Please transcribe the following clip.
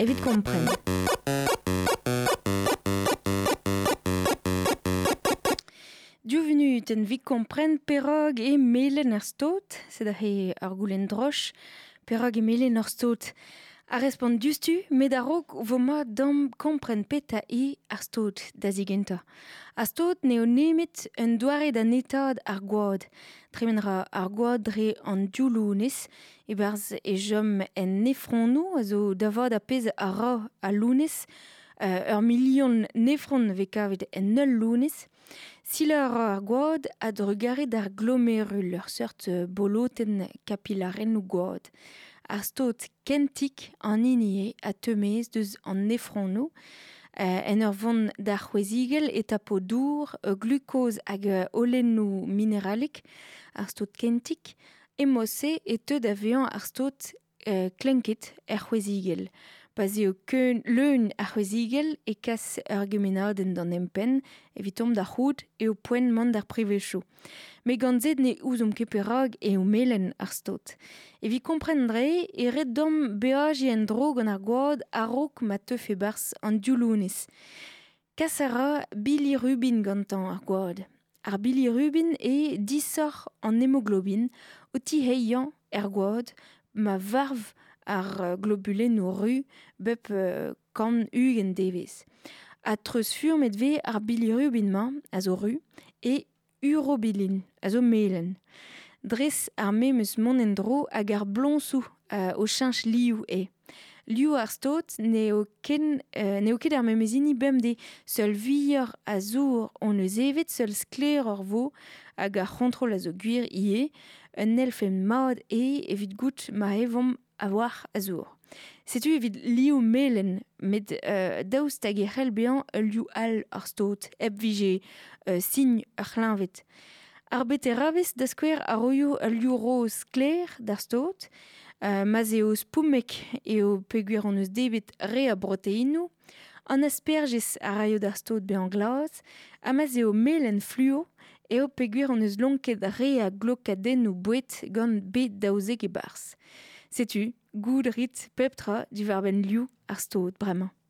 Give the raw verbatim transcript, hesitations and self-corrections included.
evit kompren. Div vunut en vit kompren perag e melen ar stot, sed aze ar goulenn droch, perag e melen ar stot. A respont diouzhtu, met a-raok vo mat dam kompren petra eo ar stot da zigentañ. Ar stot n'eo nemet un doare da netaat ar gwad. Tremen ra ar gwad dre an div lounez, e-barzh e chom en nefronoù, a zo da vat ar pezh a ra al lounez, euh, ur milion nefron vez kavet en ul lounez. Silañ a ra ar gwad a drugare d'ar glomerul, ur seurt bolotenn kapilarennoù gwad. Ar stot kentik an hini eo a teu-maez deus an nefronoù, euh, en ur vont d'ar c'hwezigell e tapo dour, glukoz hag holennoù mineralek, ar stot kentik, e-mod-se e teu da vezañ ar stot euh, klenket er c'hwezigell. Pa 'z eo keun leun ar c'hwezigell e kas ur gemennadenn d'an empenn evitomp da c'hoût eo poent mont d'ar privezioù. Met gant se ne ouzomp ket perak eo melen ar stot. Evit kompren dre e ret deomp beajiñ en-dro gant ar gwad a-raok ma teufe 'barzh an div lounez. Kas a ra bilirubin gantañ ar gwad. Ar bilirubin eo disoc'h an hemoglobin o tiheiañ er gwad ma varv ar globulennoù ru bep kant ugent devezh. Ha treuzfurmet vez ar bilirubin-mañ, a zo ru, e urobilin, a zo melen. Dres ar memes mont en-dro hag ar bloñsoù euh, o cheñch liv eo. Liv ar stot n'eo ken, euh, n'eo ket ar memes hini bemdez, seul vuioc'h a zour hon eus evet, seul sklaeroc'h vo hag ar c'hontrol a zo gwir ivez, un elfenn mat eo evit goût ma evomp a-walc'h a zour. Setu evit liv melen, met euh, daoust hag e c'hell bezañ ul liv all ar stot, hep vije euh, sin ur c'hleñved. Ar beterabez da skouer a roio ul liv roz sklaer d'ar stot, euh, ma'z eo spoumek eo peogwir hon eus debret re a broteinoù, an asperjez a raio d'ar stot bezañ glas, ha ma'z eo melen fluo eo peogwir hon eus lonket re a glokadennoù boued gant B daouzek e-barzh. Setu, goût rit pep tra diwar-benn liv ar stot bremañ.